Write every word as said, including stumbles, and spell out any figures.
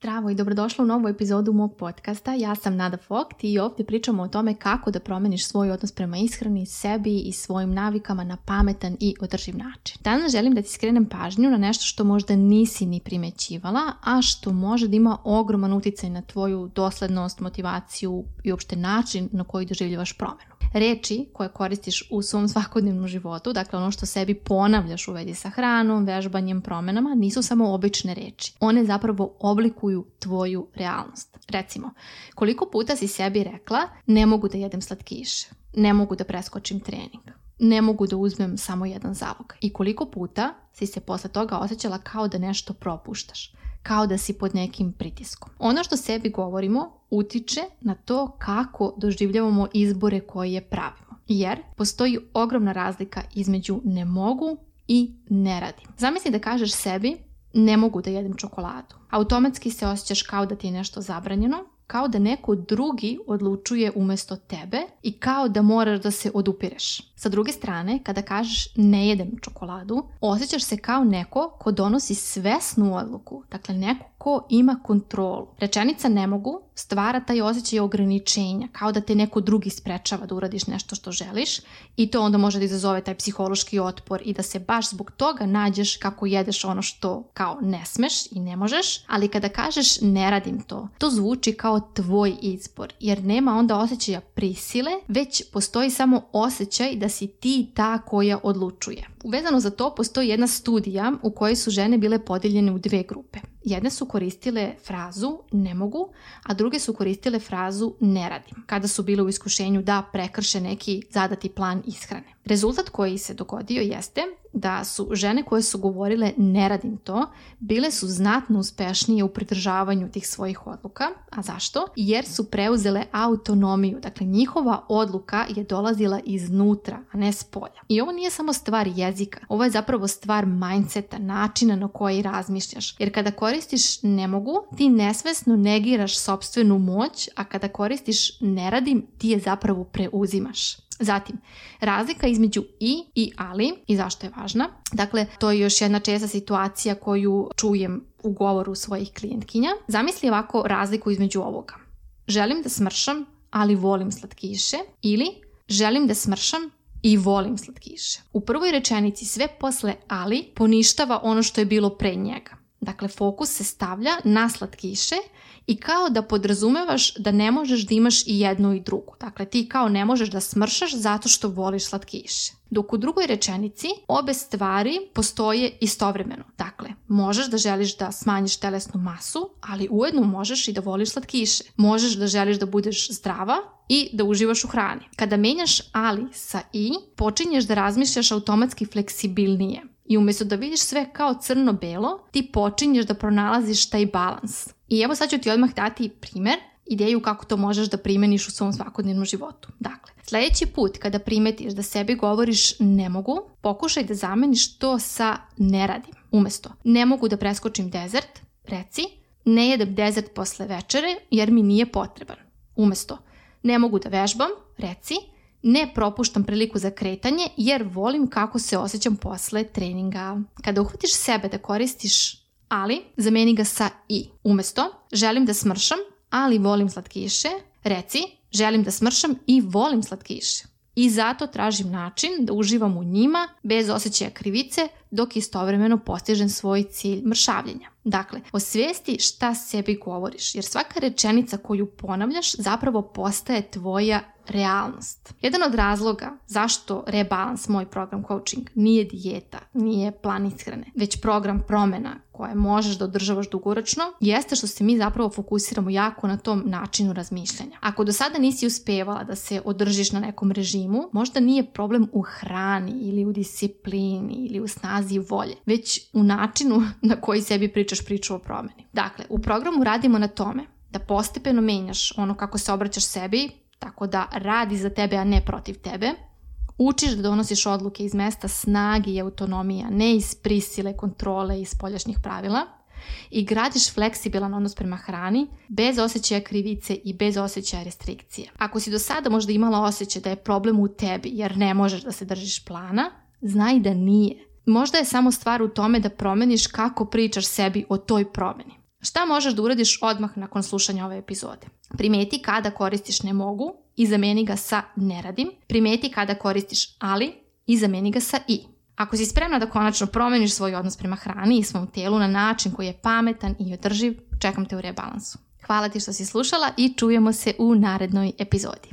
Zdravo i dobrodošla u novu epizodu mog podcasta. Ja sam Nada Vogt i ovdje pričamo o tome kako da promeniš svoj odnos prema ishrani, sebi i svojim navikama na pametan i održiv način. Danas želim da ti skrenem pažnju na nešto što možda nisi ni primećivala, a što može da ima ogroman utjecaj na tvoju doslednost, motivaciju i uopšte način na koji doživljavaš promenu. Reči koje koristiš u svom svakodnevnom životu, dakle ono što sebi ponavljaš u vezi sa hranom, vežbanjem, promenama, nisu samo obične reči. One zapravo oblikuju tvoju realnost. Recimo, koliko puta si sebi rekla ne mogu da jedem slatkiše, ne mogu da preskočim trening, ne mogu da uzmem samo jedan zalog. I koliko puta si se posle toga osjećala kao da nešto propuštaš, kao da si pod nekim pritiskom. Ono što sebi govorimo utiče na to kako doživljavamo izbore koje pravimo. Jer postoji ogromna razlika između ne mogu i ne radim. Zamisli da kažeš sebi ne mogu da jedem čokoladu. Automatski se osjećaš kao da ti je nešto zabranjeno, kao da neko drugi odlučuje umjesto tebe i kao da moraš da se odupireš. Sa druge strane, kada kažeš ne jedem čokoladu, osjećaš se kao neko ko donosi svesnu odluku, dakle neko ko ima kontrolu. Rečenica ne mogu stvara taj osjećaj ograničenja, kao da te neko drugi sprečava da uradiš nešto što želiš i to onda može da izazove taj psihološki otpor i da se baš zbog toga nađeš kako jedeš ono što kao ne smeš i ne možeš, ali kada kažeš ne radim to, to zvuči kao tvoj izbor, jer nema onda osjećaja prisile, već postoji samo osjećaj da si ti ta koja odlučuje. Uvezano za to postoji jedna studija u kojoj su žene bile podijeljene u dve grupe. Jedne su koristile frazu ne mogu, a druge su koristile frazu ne radim, kada su bile u iskušenju da prekrše neki zadati plan ishrane. Rezultat koji se dogodio jeste da su žene koje su govorile ne radim to, bile su znatno uspešnije u pridržavanju tih svojih odluka. A zašto? Jer su preuzele autonomiju, dakle njihova odluka je dolazila iznutra, a ne s polja. I ovo nije samo stvar jezika, ovo je zapravo stvar mindseta, načina na koji razmišljaš. Jer kada koristiš ne mogu, ti nesvesno negiraš sopstvenu moć, a kada koristiš ne radim, ti je zapravo preuzimaš. Zatim, razlika između i i ali i zašto je važna. Dakle, to je još jedna česta situacija koju čujem u govoru svojih klijentkinja. Zamisli ovako razliku između ovoga. Želim da smršam, ali volim slatkiše, ili želim da smršam i volim slatkiše. U prvoj rečenici sve posle ali poništava ono što je bilo pre njega. Dakle, fokus se stavlja na slatkiše i kao da podrazumevaš da ne možeš da imaš i jednu i drugu. Dakle, ti kao ne možeš da smršaš zato što voliš slatkiše. Dok u drugoj rečenici obe stvari postoje istovremeno. Dakle, možeš da želiš da smanjiš telesnu masu, ali ujedno možeš i da voliš slatkiše. Možeš da želiš da budeš zdrava i da uživaš u hrani. Kada menjaš ali sa i, počinješ da razmišljaš automatski fleksibilnije. I umjesto da vidiš sve kao crno-belo, ti počinješ da pronalaziš taj balans. I evo sad ću ti odmah dati primjer, ideju kako to možeš da primeniš u svom svakodnevnom životu. Dakle, sljedeći put kada primetiš da sebi govoriš ne mogu, pokušaj da zameniš to sa ne radim. Umjesto ne mogu da preskočim dezert, reci ne jedem dezert posle večere jer mi nije potreban. Umjesto ne mogu da vežbam, reci ne propuštam priliku za kretanje jer volim kako se osjećam posle treninga. Kada uhvatiš sebe da koristiš ali, zameni ga sa i. Umjesto želim da smršam, ali volim slatkiše, reci želim da smršam i volim slatkiše. I zato tražim način da uživam u njima bez osjećaja krivice dok istovremeno postižem svoj cilj mršavljenja. Dakle, osvijesti šta sebi govoriš, jer svaka rečenica koju ponavljaš zapravo postaje tvoja realnost. Jedan od razloga zašto Rebalans, moj program coaching, nije dijeta, nije plan ishrane, već program promjena koje možeš da održavaš dugoročno, jeste što se mi zapravo fokusiramo jako na tom načinu razmišljanja. Ako do sada nisi uspevala da se održiš na nekom režimu, možda nije problem u hrani ili u disciplini ili u snazi volje, već u načinu na koji sebi pričaš priču o promjeni. Dakle, u programu radimo na tome da postepeno menjaš ono kako se obraćaš sebi, tako da radi za tebe, a ne protiv tebe. Učiš da donosiš odluke iz mesta snage i autonomija, ne iz prisile, kontrole i spoljašnjih pravila. I gradiš fleksibilan odnos prema hrani, bez osjećaja krivice i bez osjećaja restrikcije. Ako si do sada možda imala osjećaj da je problem u tebi jer ne možeš da se držiš plana, znaj da nije. Možda je samo stvar u tome da promeniš kako pričaš sebi o toj promjeni. Šta možeš da uradiš odmah nakon slušanja ove epizode? Primeti kada koristiš ne mogu i zameni ga sa ne radim. Primeti kada koristiš ali i zameni ga sa i. Ako si spremna da konačno promeniš svoj odnos prema hrani i svom telu na način koji je pametan i održiv, čekam te u rebalansu. Hvala ti što si slušala i čujemo se u narednoj epizodi.